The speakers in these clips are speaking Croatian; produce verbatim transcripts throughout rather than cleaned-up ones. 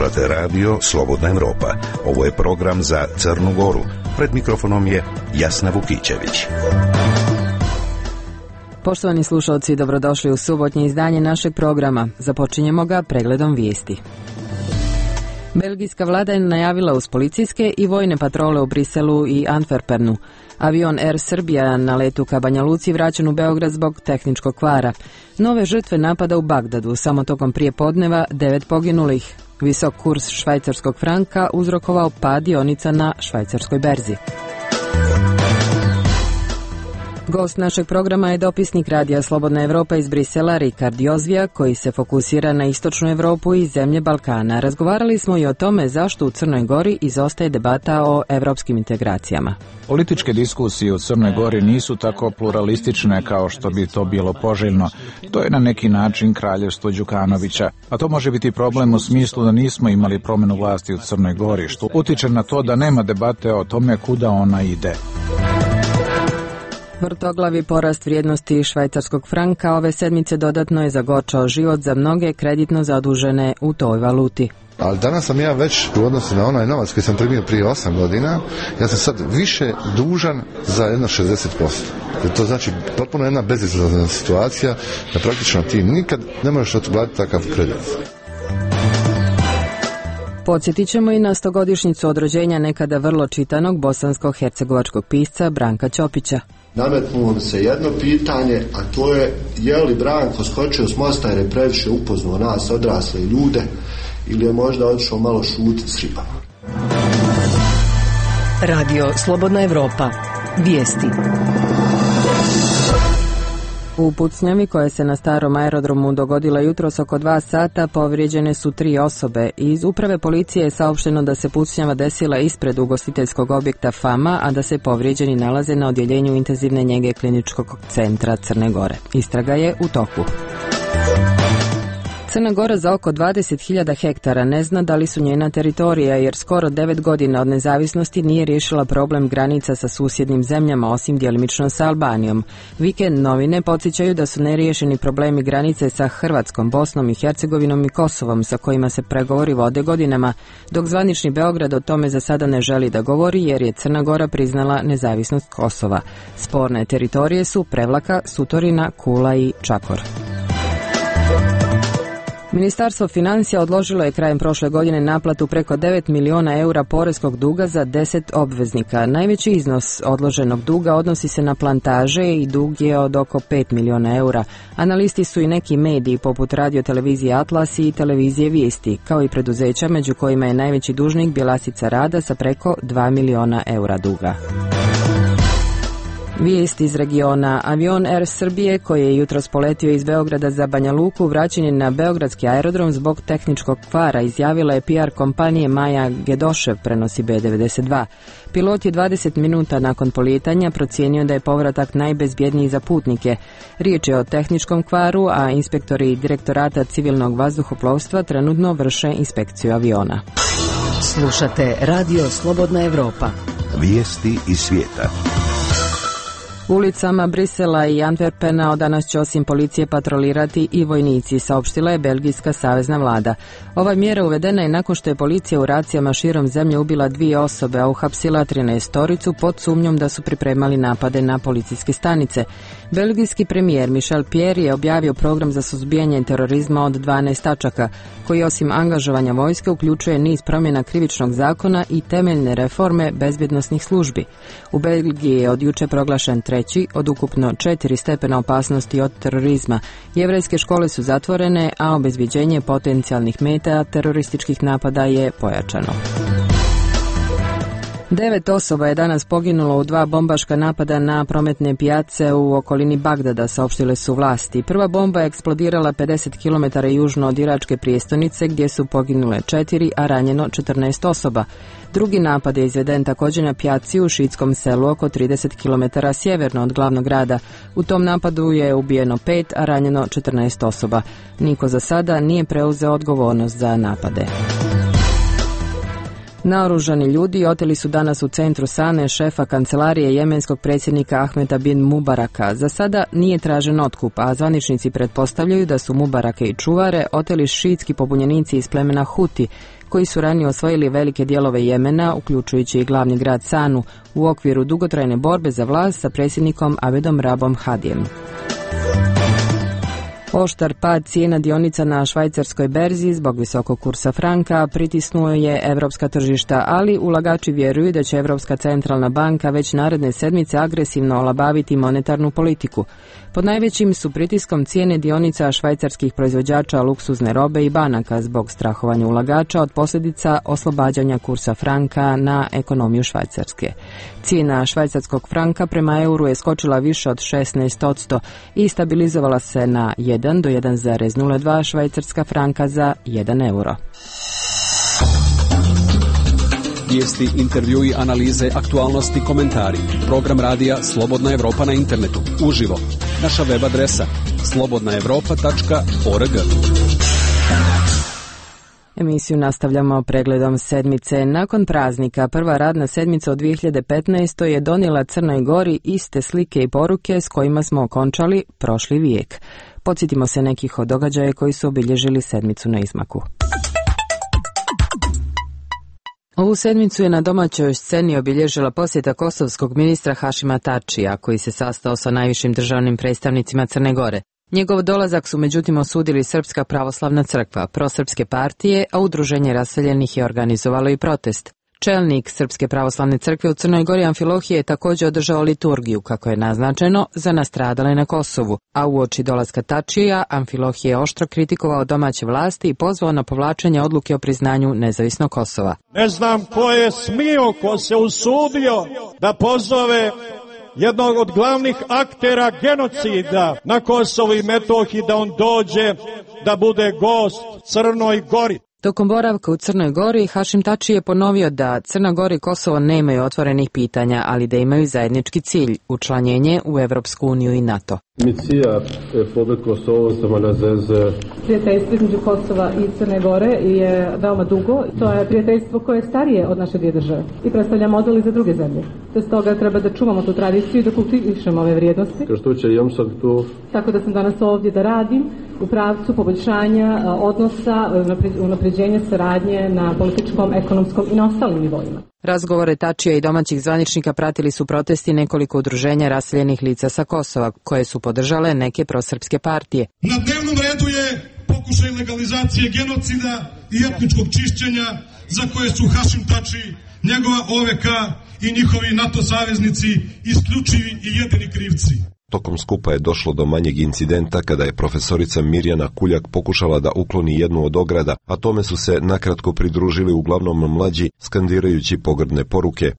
Slušate radio Slobodna Evropa. Ovo je program za Crnu Goru. Pred mikrofonom je Jasna Vukićević. Poštovani slušalci, dobrodošli u subotnje izdanje našeg programa. Započinjemo ga pregledom vijesti. Belgijska vlada je najavila uz policijske i vojne patrole u Briselu i Antwerpenu. Avion Air Srbija na letu ka Banja Luci vraćen u Beograd zbog tehničkog kvara. Nove žrtve napada u Bagdadu, samo tokom prije podneva devet poginulih. Visok kurs švajcarskog franka uzrokovao pad dionica na švajcarskoj berzi. Gost našeg programa je dopisnik radija Slobodna Evropa iz Brisela, Rikard Jozvija, koji se fokusira na istočnu Evropu i zemlje Balkana. Razgovarali smo i o tome zašto u Crnoj Gori izostaje debata o evropskim integracijama. Političke diskusije u Crnoj Gori nisu tako pluralistične kao što bi to bilo poželjno. To je na neki način kraljevstvo Đukanovića, a to može biti problem u smislu da nismo imali promjenu vlasti u Crnoj Gori, što utiče na to da nema debate o tome kuda ona ide. Vrtoglavi porast vrijednosti švajcarskog franka ove sedmice dodatno je zagorčao život za mnoge kreditno zadužene u toj valuti. Ali danas sam ja već u odnosu na onaj novac koji sam primio prije osam godina, ja sam sad više dužan za jedno šezdeset posto. To znači potpuno jedna bezizlazna situacija da praktično ti nikad ne možeš otplatiti takav kredit. Podsjetit ćemo i na stogodišnjicu od rođenja nekada vrlo čitanog bosansko-hercegovačkog pisca Branka Ćopića. Nametnulo mi se jedno pitanje, a to je je li Branko skočio s mosta jer je previše upoznao nas odrasle ljude ili je možda otišao malo šutiti s ribama. Radio Slobodna Evropa. Vijesti. U pucnjavi koja se na starom aerodromu dogodila jutros oko dva sata povrijeđene su tri osobe. Iz uprave policije je saopšteno da se pucnjava desila ispred ugostiteljskog objekta Fama, a da se povrijeđeni nalaze na odjeljenju intenzivne njege Kliničkog centra Crne Gore. Istraga je u toku. Crna Gora za oko dvadeset hiljada hektara ne zna da li su njena teritorija, jer skoro devet godina od nezavisnosti nije riješila problem granica sa susjednim zemljama, osim djelimično sa Albanijom. Vikend novine podsjećaju da su neriješeni problemi granice sa Hrvatskom, Bosnom i Hercegovinom i Kosovom, sa kojima se pregovori vode godinama, dok zvanični Beograd o tome za sada ne želi da govori, jer je Crna Gora priznala nezavisnost Kosova. Sporne teritorije su Prevlaka, Sutorina, Kula i Čakor. Ministarstvo financija odložilo je krajem prošle godine naplatu preko devet miliona eura poreskog duga za deset obveznika. Najveći iznos odloženog duga odnosi se na plantaže i dug je od oko pet miliona eura. Analisti su i neki mediji poput radiotelevizije Atlas i televizije Vijesti, kao i preduzeća među kojima je najveći dužnik Bjelasica Rada sa preko dva miliona eura duga. Vijest iz regiona. Avion Air Srbije, koji je jutros poletio iz Beograda za Banja Luku, vraćen je na beogradski aerodrom zbog tehničkog kvara, izjavila je P R kompanije Maja Gedošev, prenosi B devedeset dva. Pilot je dvadeset minuta nakon polijetanja procijenio da je povratak najbezbjedniji za putnike. Riječ je o tehničkom kvaru, a inspektori Direktorata civilnog vazduhoplovstva trenutno vrše inspekciju aviona. Slušate Radio Slobodna Evropa. Vijesti iz svijeta. Ulicama Brisela i Antwerpena od danas će osim policije patrolirati i vojnici, saopštila je belgijska savezna vlada. Ova mjera uvedena je nakon što je policija u racijama širom zemlje ubila dvije osobe, a uhapsila trinaestoricu pod sumnjom da su pripremali napade na policijske stanice. Belgijski premijer Michel Pierre je objavio program za suzbijanje terorizma od dvanaest tačaka, koji osim angažovanja vojske uključuje niz promjena krivičnog zakona i temeljne reforme bezbjednosnih službi. U Belgiji je od juče proglašen treći od ukupno četiri stepena opasnosti od terorizma. Jevrejske škole su zatvorene, a obezbjeđenje potencijalnih meta terorističkih napada je pojačano. Devet osoba je danas poginulo u dva bombaška napada na prometne pijace u okolini Bagdada, saopštile su vlasti. Prva bomba je eksplodirala pedeset kilometara južno od iračke prijestolnice, gdje su poginule četiri, a ranjeno četrnaest osoba. Drugi napad je izveden također na pijaci u šiitskom selu oko trideset kilometara sjeverno od glavnog grada. U tom napadu je ubijeno pet, a ranjeno četrnaest osoba. Niko za sada nije preuzeo odgovornost za napade. Naoružani ljudi oteli su danas u centru Sane šefa kancelarije jemenskog predsjednika Ahmeta bin Mubaraka. Za sada nije tražen otkup, a zvaničnici pretpostavljaju da su Mubarake i čuvare oteli šiitski pobunjenici iz plemena Huti, koji su ranije osvojili velike dijelove Jemena, uključujući i glavni grad Sanu, u okviru dugotrajne borbe za vlast sa predsjednikom Abedom Rabom Hadijem. Oštar pad cijena dionica na švajcarskoj berzi zbog visokog kursa franka pritisnuo je evropska tržišta, ali ulagači vjeruju da će Europska centralna banka već naredne sedmice agresivno olabaviti monetarnu politiku. Pod najvećim su pritiskom cijene dionica švajcarskih proizvođača luksuzne robe i banaka zbog strahovanja ulagača od posljedica oslobađanja kursa franka na ekonomiju Švajcarske. Cijena švajcarskog franka prema euru je skočila više od šesnaest posto i stabilizovala se na jedan do jedan zarez nula dva švajcarska franka za jedan euro. Vijesti, intervjui, analize, aktualnosti, komentari. Program radija Slobodna Evropa na internetu. Uživo. Naša web adresa slobodna evropa tačka org. Emisiju nastavljamo pregledom sedmice. Nakon praznika, prva radna sedmica od dvije hiljade petnaeste. je donijela Crnoj Gori iste slike i poruke s kojima smo okončali prošli vijek. Podsjetimo se nekih od događaja koji su obilježili sedmicu na izmaku. Ovu sedmicu je na domaćoj sceni obilježila posjeta kosovskog ministra Hašima Tačija, koji se sastao sa najvišim državnim predstavnicima Crne Gore. Njegov dolazak su međutim osudili Srpska pravoslavna crkva, prosrpske partije, a udruženje raseljenih je organizovalo i protest. Čelnik Srpske pravoslavne crkve u Crnoj Gori Amfilohije je također održao liturgiju, kako je naznačeno, za nastradale na Kosovu, a uoči dolaska Tačija Amfilohije je oštro kritikovao domaće vlasti i pozvao na povlačenje odluke o priznanju nezavisnog Kosova. Ne znam ko je smio, ko se usudio da pozove jednog od glavnih aktera genocida na Kosovu i Metohiji da on dođe da bude gost Crnoj Gori. Tokom boravka u Crnoj Gori, Hašim Tači je ponovio da Crna Gora i Kosovo nemaju otvorenih pitanja, ali da imaju zajednički cilj, učlanjenje u Evropsku uniju i NATO. Misija Republike Kosovo sama nazeze. Prijateljstvo između Kosova i Crne Gore je veoma dugo. To je prijateljstvo koje je starije od naše dvije države i predstavlja model i za druge zemlje. Te stoga treba da čuvamo tu tradiciju i da kultivišemo ove vrijednosti. Što će jam sad tu? Tako da sam danas ovdje da radim u pravcu poboljšanja odnosa, unapređenja saradnje na političkom, ekonomskom i na ostalim nivoima. Razgovore Tačija i domaćih zvaničnika pratili su protesti nekoliko udruženja raseljenih lica sa Kosova, koje su podržale neke prosrpske partije. Na dnevnom redu je pokušaj legalizacije genocida i etničkog čišćenja za koje su Hašim Tači, njegova O V K i njihovi NATO saveznici isključivi i jedini krivci. Tokom skupa je došlo do manjeg incidenta kada je profesorica Mirjana Kuljak pokušala da ukloni jednu od ograda, a tome su se nakratko pridružili uglavnom mlađi, skandirajući pogrdne poruke.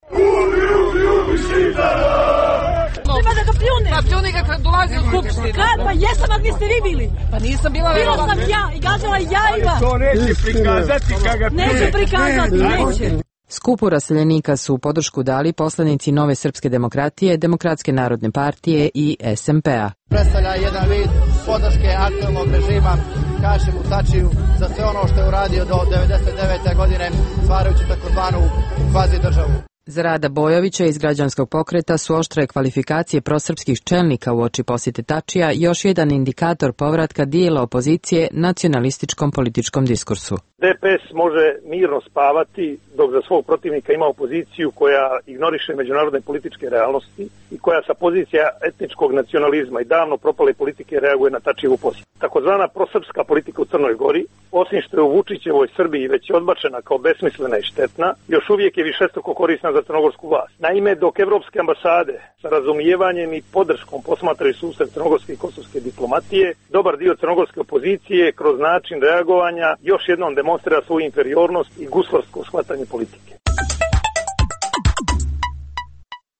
Treba da ga pljune. Pa pljuni ga kad dolazi u skupštinu. Kad? Pa jesam, ali niste vi bili. Pa nisam bila verovatno. Bila sam ja i gađala jajima. To neće prikazati kada pljune. Neće prikazati, neće. Skupu raseljenika su podršku dali poslanici Nove srpske demokratije, Demokratske narodne partije i S M P-a. Predstavlja jedan vid podrške aktualnog režima Hašimu Tačiju za sve ono što je uradio do devedeset devete. godine, stvarajući takozvanu kvazi državu. Za Rada Bojovića iz građanskog pokreta su oštre kvalifikacije prosrpskih čelnika uoči posjete Tačija još jedan indikator povratka dijela opozicije nacionalističkom političkom diskursu. D P S može mirno spavati dok za svog protivnika ima opoziciju koja ignoriše međunarodne političke realnosti i koja sa pozicija etničkog nacionalizma i davno propale politike reaguje na Tačijevu posjetu. Takozvana prosrpska politika u Crnoj Gori, osim što je u Vučićevoj Srbiji već odbačena kao besmislena i štetna, još uvijek je višestruko korisna za crnogorsku vlast. Naime, dok evropske ambasade sa razumijevanjem i podrškom posmatraju susret crnogorske i kosovske diplomatije, dobar dio crnogorske opozicije kroz način reagovanja još jednom demonstrira svoju inferiornost i guslarsko shvatanje politike.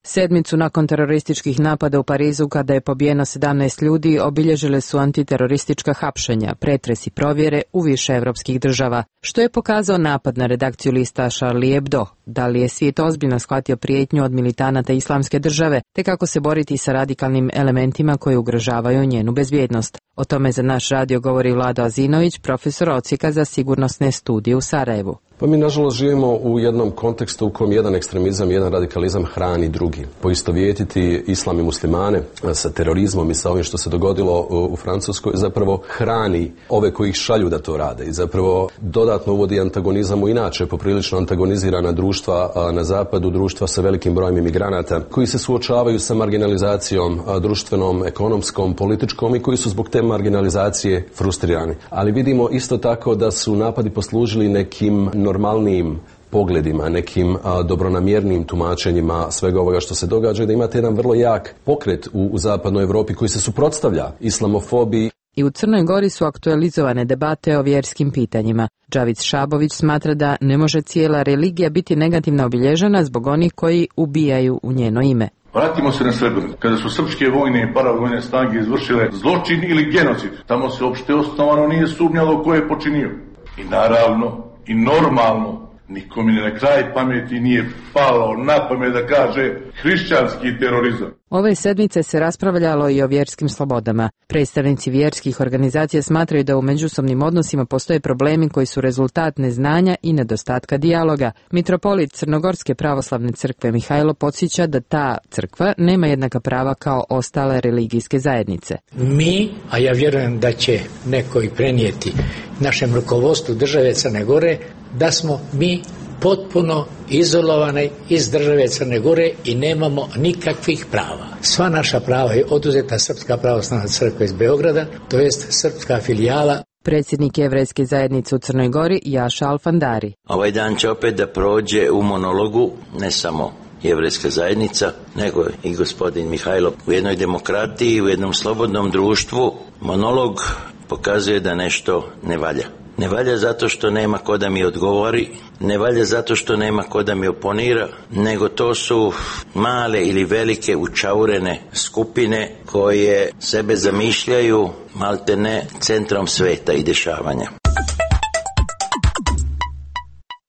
Sedmicu nakon terorističkih napada u Parizu, kada je pobijeno sedamnaest ljudi, obilježile su antiteroristička hapšenja, pretresi, provjere u više evropskih država, što je pokazao napad na redakciju lista Charlie Hebdo. Da li je svijet ozbiljno shvatio prijetnju od militanata Islamske države, te kako se boriti sa radikalnim elementima koji ugrožavaju njenu bezbjednost? O tome za naš radio govori Vlado Azinović, profesor odsjeka za sigurnosne studije u Sarajevu. Pa mi nažalost živimo u jednom kontekstu u kojem jedan ekstremizam, jedan radikalizam hrani drugi. Poistovjetiti islam i muslimane sa terorizmom i sa ovim što se dogodilo u Francuskoj zapravo hrani ove koji ih šalju da to rade i zapravo dodatno uvodi antagonizam u inače poprilično antagonizirana društva na zapadu, društva sa velikim brojem imigranata koji se suočavaju sa marginalizacijom društvenom, ekonomskom, političkom i koji su zbog te marginalizacije frustrirani. Ali vidimo isto tako da su napadi poslužili nekim normalnijim pogledima, nekim a, dobronamjernim tumačenjima svega ovoga što se događa i da imate jedan vrlo jak pokret u, u zapadnoj Europi koji se suprotstavlja islamofobiji. I u Crnoj Gori su aktualizovane debate o vjerskim pitanjima. Džavić Šabović smatra da ne može cijela religija biti negativno obilježena zbog onih koji ubijaju u njeno ime. Vratimo se na Srebrenicu. Kada su srpske vojne i paravojne snage izvršile zločin ili genocid, tamo se uopšte osnovano nije sumnjalo ko je počinio. I naravno, i normalno, nikome na kraj pameti nije palo na pamet da kaže hrišćanski terorizam. Ove sedmice se raspravljalo i o vjerskim slobodama. Predstavnici vjerskih organizacija smatraju da u međusobnim odnosima postoje problemi koji su rezultat neznanja i nedostatka dijaloga. Mitropolit Crnogorske pravoslavne crkve Mihajlo podsjeća da ta crkva nema jednaka prava kao ostale religijske zajednice. Mi, a ja vjerujem da će neko i prenijeti našem rukovodstvu države Crne Gore, da smo mi potpuno izolovani iz države Crne Gore i nemamo nikakvih prava. Sva naša prava je oduzeta Srpska pravoslavna crkva iz Beograda, to jest srpska filijala. Predsjednik Jevrejske zajednice u Crnoj Gori Jaša Alfandari. Ovaj dan će opet da prođe u monologu, ne samo Jevrejska zajednica, nego i gospodin Mihajlo. U jednoj demokratiji, u jednom slobodnom društvu, monolog pokazuje da nešto ne valja. Ne valja zato što nema ko da mi odgovori, ne valja zato što nema ko da mi oponira, nego to su male ili velike učaurene skupine koje sebe zamišljaju maltene centrom sveta i dešavanja.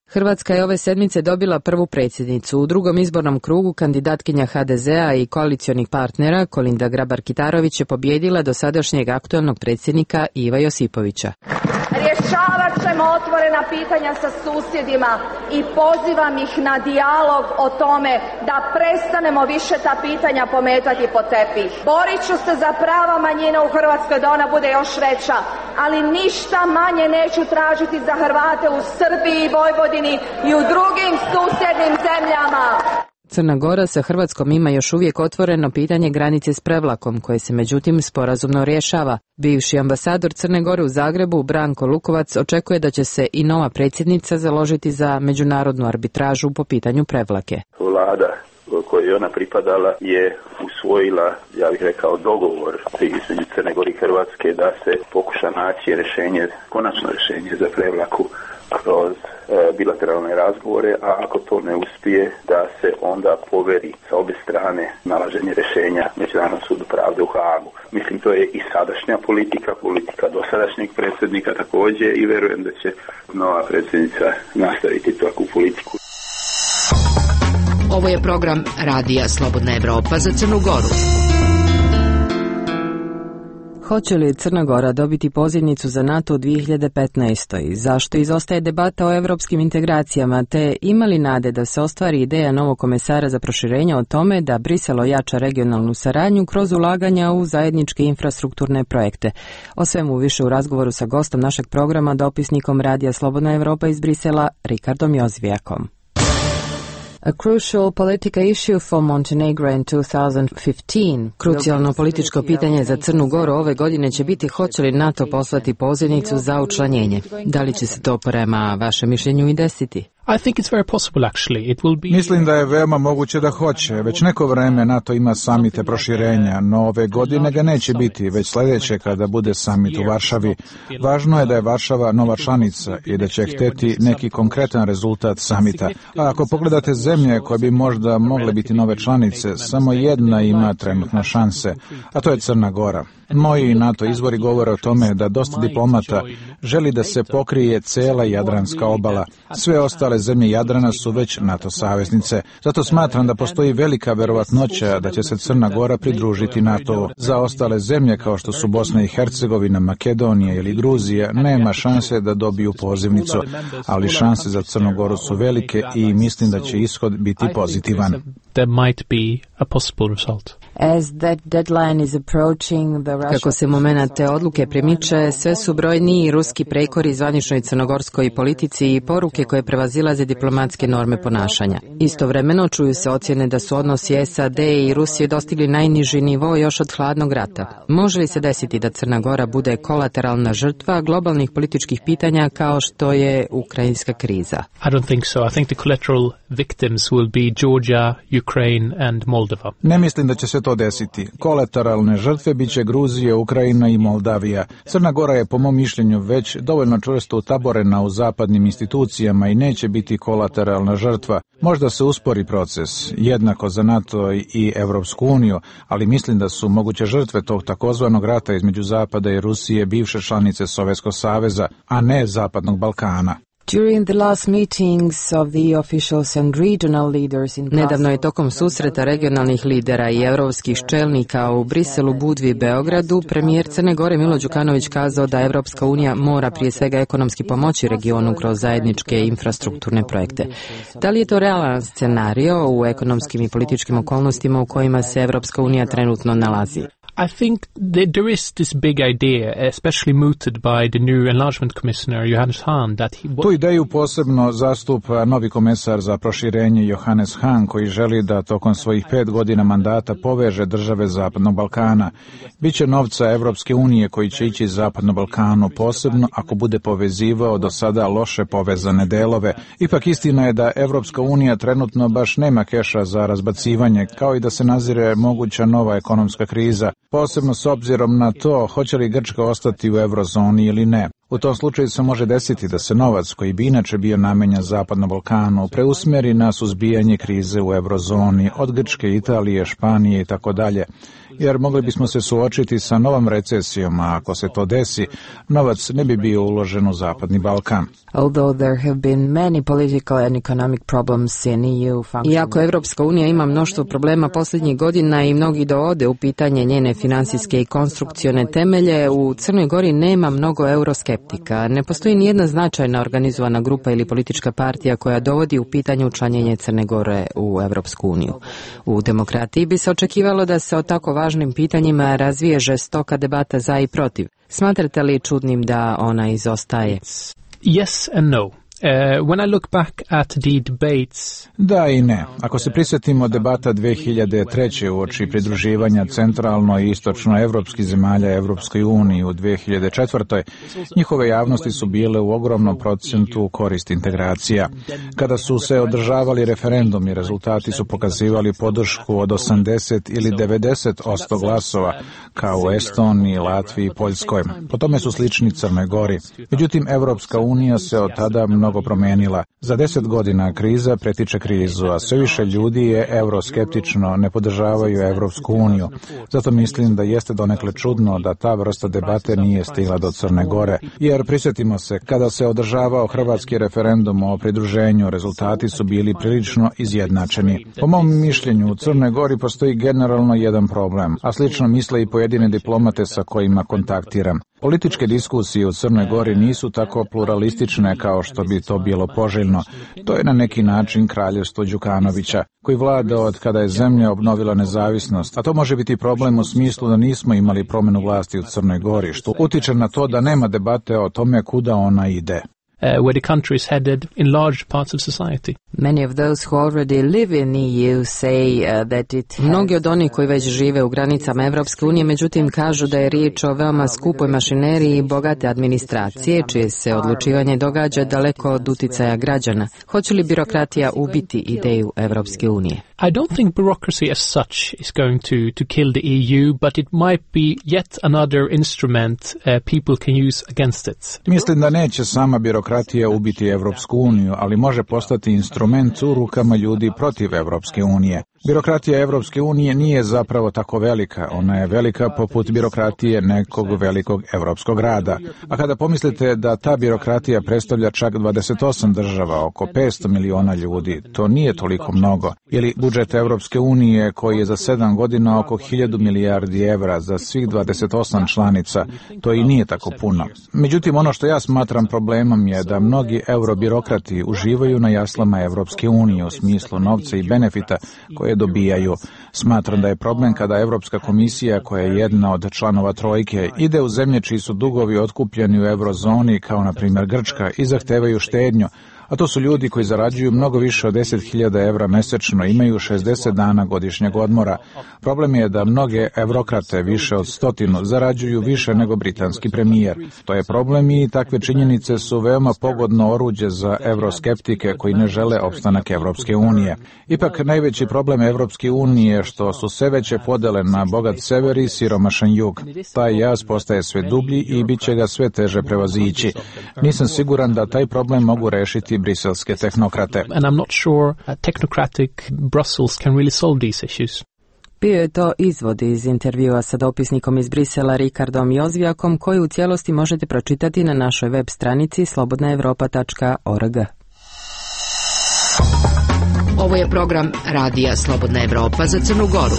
Hrvatska je ove sedmice dobila prvu predsjednicu. U drugom izbornom krugu kandidatkinja ha de zea i koalicionih partnera Kolinda Grabar-Kitarović je pobijedila dosadašnjeg aktualnog predsjednika Iva Josipovića. Rješavat ćemo otvorena pitanja sa susjedima i pozivam ih na dijalog o tome da prestanemo više ta pitanja pometati pod tepih. Borit ću se za prava manjina u Hrvatskoj da ona bude još veća, ali ništa manje neću tražiti za Hrvate u Srbiji i Vojvodini i u drugim susjednim zemljama. Crna Gora sa Hrvatskom ima još uvijek otvoreno pitanje granice s Prevlakom, koje se međutim sporazumno rješava. Bivši ambasador Crne Gore u Zagrebu, Branko Lukovac, očekuje da će se i nova predsjednica založiti za međunarodnu arbitražu po pitanju Prevlake. Vlada kojoj je ona pripadala je usvojila, ja bih rekao, dogovor između Crne Gore i Hrvatske da se pokuša naći rješenje, konačno rješenje za Prevlaku kroz e, bilateralne razgovore, a ako to ne uspije, da se onda poveri sa obje strane nalaženje rješenja Međunarodnom sudu pravde u Haagu. Mislim, to je i sadašnja politika, politika dosadašnjeg predsjednika također i verujem da će nova predsjednica nastaviti takvu politiku. Ovo je program Radija Slobodna Evropa za Crnu Goru. Hoće li Crna Gora dobiti pozivnicu za NATO u dvije hiljade petnaestoj? Zašto izostaje debata o evropskim integracijama, te ima li nade da se ostvari ideja novog komesara za proširenje o tome da Brisel ojača regionalnu saradnju kroz ulaganja u zajedničke infrastrukturne projekte? O svemu više u razgovoru sa gostom našeg programa, dopisnikom Radija Slobodna Evropa iz Brisela, Rikardom Jozvijakom. A crucial political issue for Montenegro in two thousand fifteen. Krucijalno političko pitanje za Crnu Goru ove godine će biti hoće li NATO poslati pozivnicu za učlanjenje. Da li će se to prema vašem mišljenju i desiti? I think it's very possible actually. It will be... Mislim da je veoma moguće da hoće. Već neko vreme NATO ima samite proširenja, no ove godine ga neće biti, već sljedeće kada bude samit u Varšavi. Važno je da je Varšava nova članica i da će hteti neki konkretan rezultat samita. A ako pogledate zemlje koje bi možda mogle biti nove članice, samo jedna ima trenutno šanse, a to je Crna Gora. Moji NATO izvori govore o tome da dosta diplomata želi da se pokrije cela Jadranska obala. Sve ostale ostale zemlje Jadrana su već NATO saveznice. Zato smatram da postoji velika verovatnoća da će se Crna Gora pridružiti NATO. Za ostale zemlje kao što su Bosna i Hercegovina, Makedonija ili Gruzija nema šanse da dobiju pozivnicu, ali šanse za Crnu Goru su velike i mislim da će ishod biti pozitivan. There might be a possible result. As that deadline is approaching, the Russia... Kako se momenat te odluke premiče, sve su brojniji ruski prekori zvaničnoj crnogorskoj politici i poruke koje prevazilaze diplomatske norme ponašanja. Istovremeno čuju se ocjene da su odnosi S A D i Rusije dostigli najniži nivo još od hladnog rata. Može li se desiti da Crna Gora bude kolateralna žrtva globalnih političkih pitanja kao što je ukrajinska kriza? I don't think so. I think the collateral victims will be Georgia, Ukraine and Moldova. Ne mislim da će se to desiti. Kolateralne žrtve biće Gruzija, Ukrajina i Moldavija. Crna Gora je po mom mišljenju već dovoljno čvrsto utaborena u zapadnim institucijama i neće biti kolateralna žrtva. Možda se uspori proces, jednako za NATO i Evropsku uniju, ali mislim da su moguće žrtve tog takozvanog rata između Zapada i Rusije bivše članice Sovjetskog saveza, a ne Zapadnog Balkana. During the last meetings of the officials and regional leaders in Nedavno je tokom susreta regionalnih lidera i europskih čelnika u Briselu, Budvi i Beogradu premijer Crne Gore Milo Đukanović kazao da Evropska unija mora prije svega ekonomski pomoći regionu kroz zajedničke infrastrukturne projekte. Da li je to realan scenario u ekonomskim i političkim okolnostima u kojima se Evropska unija trenutno nalazi? I think that there is this big idea, especially mooted by the new enlargement commissioner Johannes Hahn, that he... Tu ideju posebno zastupa novi komesar za proširenje Johannes Hahn, koji želi da tokom svojih pet godina mandata poveže države Zapadnog Balkana. Biće novca Evropske unije koji će ići Zapadnom Balkanu, posebno ako bude povezivao do sada loše povezane delove. Ipak istina je da Evropska unija trenutno baš nema keša za razbacivanje, kao i da se nazire moguća nova ekonomska kriza, posebno s obzirom na to hoće li Grčka ostati u eurozoni ili ne. U tom slučaju se može desiti da se novac koji bi inače bio namenjen Zapadnom Balkanu preusmjeri na suzbijanje krize u eurozoni od Grčke, Italije, Španije i tako dalje. Jer mogli bismo se suočiti sa novom recesijom, a ako se to desi, novac ne bi bio uložen u Zapadni Balkan. Although there have been many political and economic problems in E U function... Iako Evropska unija ima mnoštvo problema posljednjih godina i mnogi dovode u pitanje njene financijske i konstrukcione temelje, u Crnoj Gori nema mnogo euroskeptika. Ne postoji nijedna značajna organizovana grupa ili politička partija koja dovodi u pitanje učlanjenje Crne Gore u Evropsku uniju. U demokratiji bi se očekivalo da se o tako važnim pitanjima razvije žestoka debata za i protiv. Smatrate li čudnim da ona izostaje? Yes and no. Uh, when I look back at the debates... Da i ne. Ako se prisjetimo debata dve hiljade treće uoči pridruživanja centralno i istočno evropskih zemalja Evropskoj uniji u dve hiljade četvrtoj. njihove javnosti su bile u ogromnom procentu u korist integracija. Kada su se održavali referendumi, rezultati su pokazivali podršku od osamdeset ili devedeset posto glasova, kao u Estoniji, Latviji i Poljskoj. Po tome su slični Crnoj Gori. Međutim, Evropska unija se od tada mnogo promijenila. Za deset godina kriza pretiče krizu, a sve više ljudi je euroskeptično, ne podržavaju Evropsku uniju. Zato mislim da jeste donekle čudno da ta vrsta debate nije stigla do Crne Gore. Jer prisjetimo se, kada se održavao hrvatski referendum o pridruženju, rezultati su bili prilično izjednačeni. Po mom mišljenju, u Crnoj Gori postoji generalno jedan problem, a slično misle i pojedine diplomate sa kojima kontaktiram. Političke diskusije u Crnoj Gori nisu tako pluralistične kao što bi to bilo poželjno. To je na neki način kraljevstvo Đukanovića, koji vlada od kada je zemlja obnovila nezavisnost, a to može biti problem u smislu da nismo imali promjenu vlasti u Crnoj Gori, što utiče na to da nema debate o tome kuda ona ide. Uh, where the country is headed in large parts of society. Many of those who already live in E U say uh, that it has... Mnogi od onih koji već žive u granicama Evropske unije, međutim, kažu da je riječ o veoma skupoj mašineriji i bogate administracije, čije se odlučivanje događa daleko od uticaja građana. Hoće li birokratija ubiti ideju Evropske unije? I don't think bureaucracy as such is going to, to kill the E U, but it might be yet another instrument uh, people can use against it. Mislim da neće sama birokratija ubiti Evropsku uniju, ali može postati instrument u rukama ljudi protiv Evropske unije. Birokratija Evropske unije nije zapravo tako velika, ona je velika poput birokratije nekog velikog evropskog grada. A kada pomislite da ta birokratija predstavlja čak dvadeset osam država, oko petsto miliona ljudi, to nije toliko mnogo. Ili budžet Evropske unije koji je za sedam godina oko hiljadu milijardi evra za svih dvadeset osam članica, to i nije tako puno. Međutim, ono što ja smatram problemom je da mnogi eurobirokrati uživaju na jaslama Evropske unije u smislu novca i benefita koje dobijaju. Smatram da je problem kada Evropska komisija, koja je jedna od članova trojke, ide u zemlje čiji su dugovi otkupljeni u eurozoni, kao na primjer Grčka, i zahtevaju štednju, a to su ljudi koji zarađuju mnogo više od deset hiljada evra mesečno, imaju šezdeset dana godišnjeg odmora. Problem je da mnoge evrokrate, više od stotinu, zarađuju više nego britanski premijer. To je problem i takve činjenice su veoma pogodno oruđe za evroskeptike koji ne žele opstanak Evropske unije. Ipak najveći problem Evropske unije je što su sve veće podele na bogat sever i siromašan jug. Taj jaz postaje sve dublji i bit će ga sve teže prevazići. Nisam siguran da taj problem mogu rešiti briselske tehnokrate. And I'm not sure uh, technocratic Brussels can really solve these issues. Bio je to izvod iz intervjua sa dopisnikom iz Brisela Rikardom Jozvijakom, koji u cijelosti možete pročitati na našoj web stranici slobodna evropa tačka org. Ovo je program Radija Slobodna Evropa za Crnu Goru.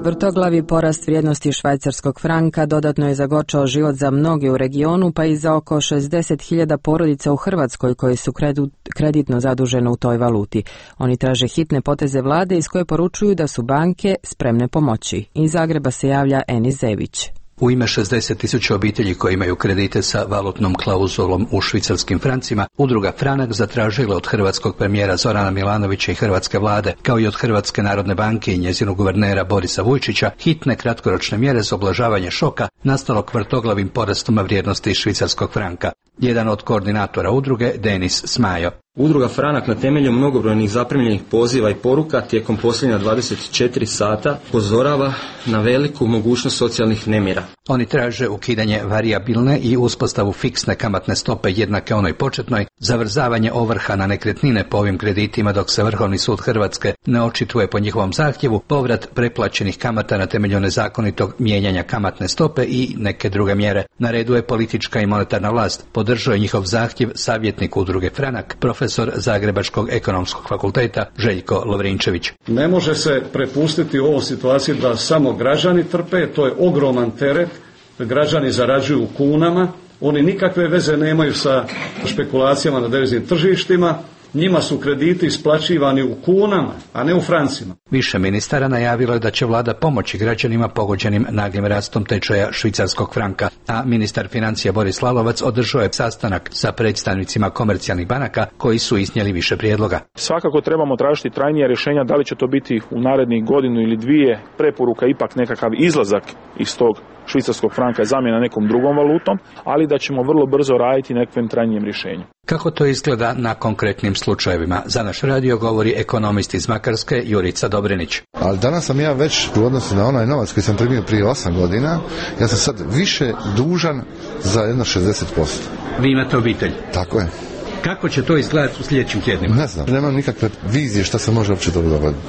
Vrtoglavi porast vrijednosti švajcarskog franka dodatno je zagorčao život za mnoge u regionu, pa i za oko šezdeset hiljada porodica u Hrvatskoj koji su kreditno zadužene u toj valuti. Oni traže hitne poteze vlade iz koje poručuju da su banke spremne pomoći. Iz Zagreba se javlja Enis Zević. U ime šezdeset tisuća obitelji koji imaju kredite sa valutnom klauzulom u švicarskim francima, udruga Franak zatražila od hrvatskog premijera Zorana Milanovića i hrvatske vlade, kao i od Hrvatske narodne banke i njezinog guvernera Borisa Vujčića, hitne kratkoročne mjere za ublažavanje šoka nastalog vrtoglavim porastom vrijednosti švicarskog franka. Jedan od koordinatora udruge, Denis Smajo. Udruga Franak na temelju mnogobrojnih zaprimljenih poziva i poruka tijekom posljednja dvadeset četiri sata upozorava na veliku mogućnost socijalnih nemira. Oni traže ukidanje varijabilne i uspostavu fiksne kamatne stope jednake onoj početnoj, zavrzavanje ovrha na nekretnine po ovim kreditima dok se Vrhovni sud Hrvatske ne očituje po njihovom zahtjevu, povrat preplaćenih kamata na temelju nezakonitog mijenjanja kamatne stope i neke druge mjere. Na redu je politička i monetarna vlast. Podržao je njihov zahtjev savjetnik udruge Franak, profesor Zagrebačkog ekonomskog fakulteta Željko Lovrinčević. Ne može se prepustiti u ovoj situaciji da samo građani trpe, to je ogroman teret, građani zarađuju u kunama, oni nikakve veze nemaju sa špekulacijama na deviznim tržištima, njima su krediti isplaćivani u kunama, a ne u francima. Više ministara najavilo je da će vlada pomoći građanima pogođenim naglim rastom tečaja švicarskog franka, a ministar financija Boris Lalovac održao je sastanak sa predstavnicima komercijalnih banaka koji su iznijeli više prijedloga. Svakako trebamo tražiti trajnija rješenja, da li će to biti u narednih godinu ili dvije, preporuka ipak nekakav izlazak iz tog švicarskog franka je zamjena nekom drugom valutom, ali da ćemo vrlo brzo raditi nekakvim trajnijem rješenju. Kako to izgleda na konkretnim slučajevima? Za naš radio govori ekonomist iz Makarske Jurica Dobrinić. Ali danas sam ja već u odnosu na onaj novac koji sam primio prije osam godina, ja sam sad više dužan za jedno šezdeset posto. Vi imate obitelj? Tako je. Kako će to izgledati u sljedećim tjednima? Ne znam, nemam nikakve vizije šta se može uopće dobro dogoditi.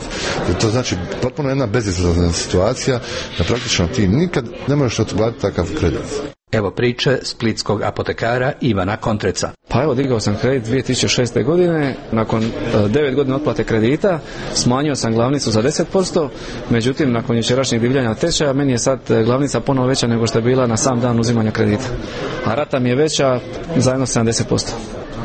To znači potpuno jedna bezizlazna situacija, da praktično ti nikad ne možeš otplatiti takav kredit. Evo priče splitskog apotekara Ivana Kontreca. Pa evo, digao sam kredit dvije tisuće šeste. godine, nakon devet godina otplate kredita, smanjio sam glavnicu za deset posto, međutim, nakon jučerašnjeg divljanja tečaja, meni je sad glavnica ponovo veća nego što je bila na sam dan uzimanja kredita. A rata mi je veća za jedno sedamdeset posto.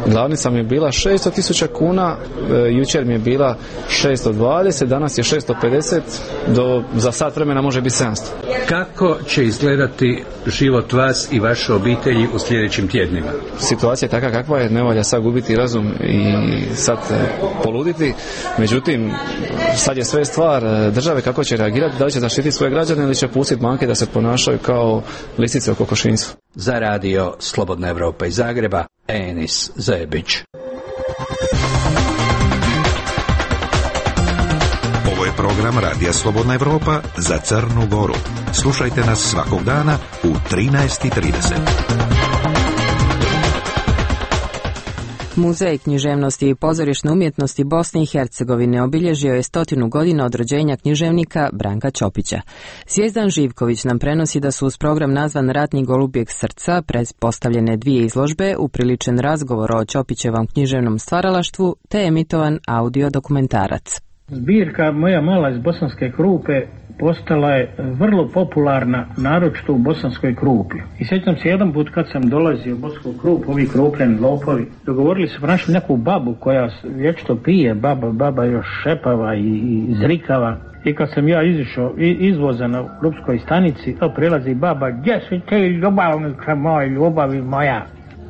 Glavnica mi je bila šesto tisuća kuna, e, jučer mi je bila šesto dvadeset, danas je šesto pedeset, do, za sat vremena može biti sedamsto. Kako će izgledati život vas i vaše obitelji u sljedećim tjednima? Situacija je takva kakva je, ne valja sad gubiti razum i sad poluditi, međutim sad je sve stvar države kako će reagirati, da li će zaštiti svoje građane ili će pustiti banke da se ponašaju kao lisice u kokošinjcu. Za radio Slobodna Evropa iz Zagreba, Enis Zebić. Ovo je program Radija Slobodna Evropa za Crnu Goru. Slušajte nas svakog dana u trinaest i trideset. Muzej književnosti i pozorišne umjetnosti Bosne i Hercegovine obilježio je stotinu godina od rođenja književnika Branka Ćopića. Zvijezdan Živković nam prenosi da su uz program nazvan Ratni golubjeg srca predpostavljene dvije izložbe, upriličen razgovor o Ćopićevom književnom stvaralaštvu te emitovan audio dokumentarac. Zbirka Moja mala iz Bosanske Krupe postala je vrlo popularna, naročito u Bosanskoj Krupi. I sjećam se jedan put kad sam dolazio u Bosansku Krupu, ovi krupljeni lopovi, dogovorili su pronašli neku babu koja vječito pije, baba, baba još šepava i, i zrikava. I kad sam ja izišao izvoza na Krupskoj stanici, to prilazi baba, gdje si ti ljubavnica moj, ljubavi moja?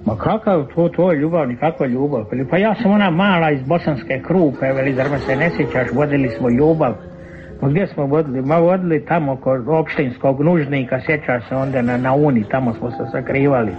Ma kakav to, to je ljubav, nikakva ljubav? Pa ja sam ona mala iz Bosanske Krupe, veli, zar me se ne sjećaš, vodili smo ljubav. Ma gdje smo vodili? Ma vodili tamo kod opštinskog nužnika, sjećaš se onda na, na Uni, tamo smo se sakrivali.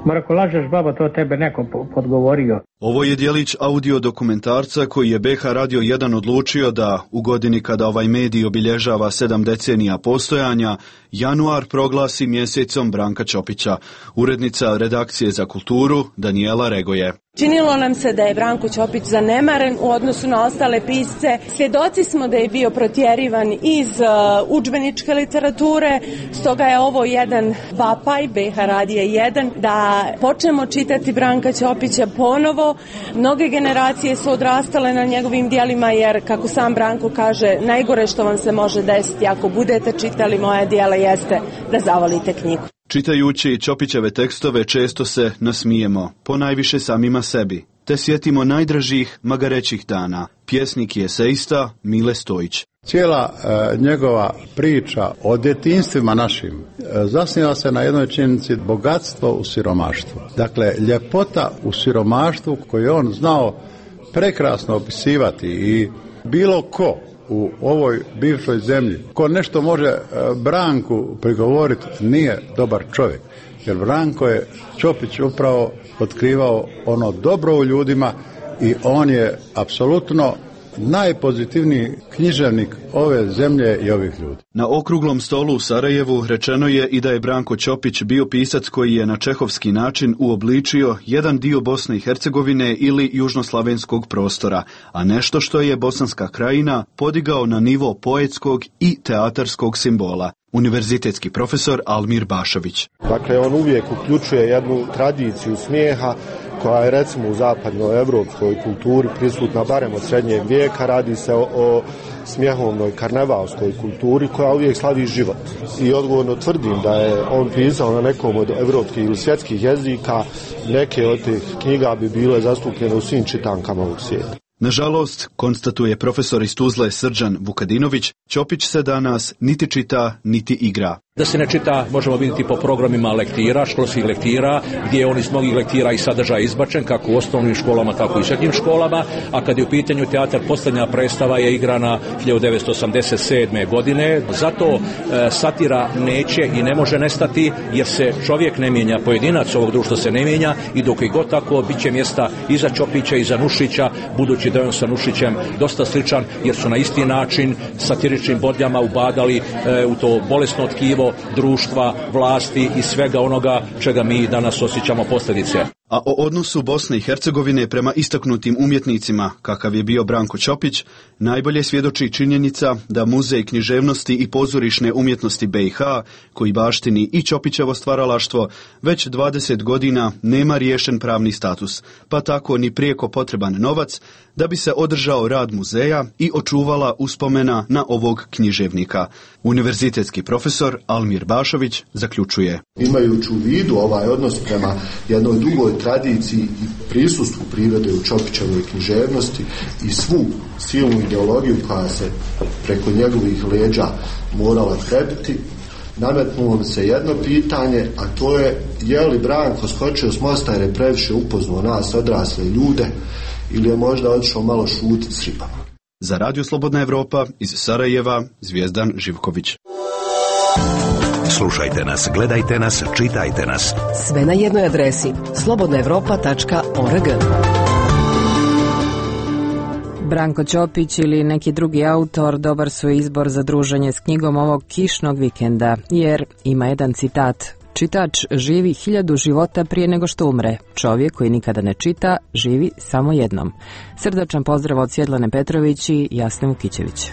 Ma ako lažeš baba, to tebe neko podgovorio. Ovo je dijelić audio dokumentarca koji je B H Radio jedan odlučio da, u godini kada ovaj medij obilježava sedam decenija postojanja, januar proglasi mjesecom Branka Ćopića. Urednica redakcije za kulturu Danijela Regoje. Činilo nam se da je Branko Ćopić zanemaren u odnosu na ostale pisce. Svjedoci smo da je bio protjerivan iz uh, udžbeničke literature, stoga je ovo jedan vapaj B H Radija jedan da počnemo čitati Branka Ćopića ponovo. Mnoge generacije su odrastale na njegovim djelima jer, kako sam Branko kaže, najgore što vam se može desiti ako budete čitali moja djela jeste da zavolite knjigu. Čitajući Ćopićeve tekstove često se nasmijemo, ponajviše samima sebi, te sjetimo najdražih magarećih dana. Pjesnik i eseista Mile Stojić. Cijela e, njegova priča o djetinjstvima našim e, zasniva se na jednoj činjenici bogatstvo u siromaštvu. Dakle, ljepota u siromaštvu koju je on znao prekrasno opisivati i bilo ko u ovoj bivšoj zemlji, ko nešto može e, Branku prigovoriti, nije dobar čovjek. Jer Branko je Ćopić upravo otkrivao ono dobro u ljudima i on je apsolutno najpozitivniji književnik ove zemlje i ovih ljudi. Na okruglom stolu u Sarajevu rečeno je i da je Branko Ćopić bio pisac koji je na čehovski način uobličio jedan dio Bosne i Hercegovine ili južnoslavenskog prostora, a nešto što je Bosanska krajina podigao na nivo poetskog i teatarskog simbola. Univerzitetski profesor Almir Bašović. Dakle, on uvijek uključuje jednu tradiciju smijeha koja je recimo u zapadnoevropskoj kulturi prisutna barem od srednjeg vijeka. Radi se o, o smijehovnoj karnevalskoj kulturi koja uvijek slavi život. I odgovorno tvrdim da je on pisao na nekom od evropskih ili svjetskih jezika. Neke od tih knjiga bi bile zastupljene u svim čitankama ovog svijeta. Nažalost, konstatuje profesor iz Tuzle Srđan Vukadinović, Ćopić se danas niti čita, niti igra. Da se ne čita možemo vidjeti po programima lektira, školskih lektira, gdje je on iz mnogih lektira i sadržaja izbačen, kako u osnovnim školama, tako i srednjim školama, a kad je u pitanju teatar, posljednja predstava je igrana hiljadu devetsto osamdeset sedme. godine. Zato e, satira neće i ne može nestati, jer se čovjek ne mijenja, pojedinac ovog društva se ne mijenja i dok i god tako bit će mjesta i za Ćopića i za Nušića, budući da je on sa Nušićem dosta sličan, jer su na isti način satiričnim bodljama ubadali e, u to bolesno tkivo društva, vlasti i svega onoga čega mi danas osjećamo posljedice. A o odnosu Bosne i Hercegovine prema istaknutim umjetnicima, kakav je bio Branko Ćopić, najbolje svjedoči činjenica da Muzej književnosti i pozorišne umjetnosti B i H, koji baštini i Ćopićevo stvaralaštvo, već dvadeset godina nema riješen pravni status, pa tako ni prijeko potreban novac da bi se održao rad muzeja i očuvala uspomena na ovog književnika. Univerzitetski profesor Almir Bašović zaključuje. Imajući u vidu ovaj odnos prema jednoj dugoj tradiciji i prisustvu prirode u Ćopićevoj književnosti i svu silnu ideologiju koja se preko njegovih leđa morala prebiti, nametnulo mi se jedno pitanje, a to je je li Branko skočio s mosta jer je previše upoznao nas odrasle ljude ili je možda otišao malo šutiti s ribama. Za Radio Slobodna Evropa iz Sarajeva, Zvijezdan Živković. Slušajte nas, gledajte nas, čitajte nas. Sve na jednoj adresi slobodna evropa tačka org. Branko Ćopić ili neki drugi autor dobar su izbor za druženje s knjigom ovog kišnog vikenda, jer ima jedan citat: Čitač živi hiljadu života prije nego što umre. Čovjek koji nikada ne čita, živi samo jednom. Srdačan pozdrav od Svjetlane Petrović i Jasne Vukićević.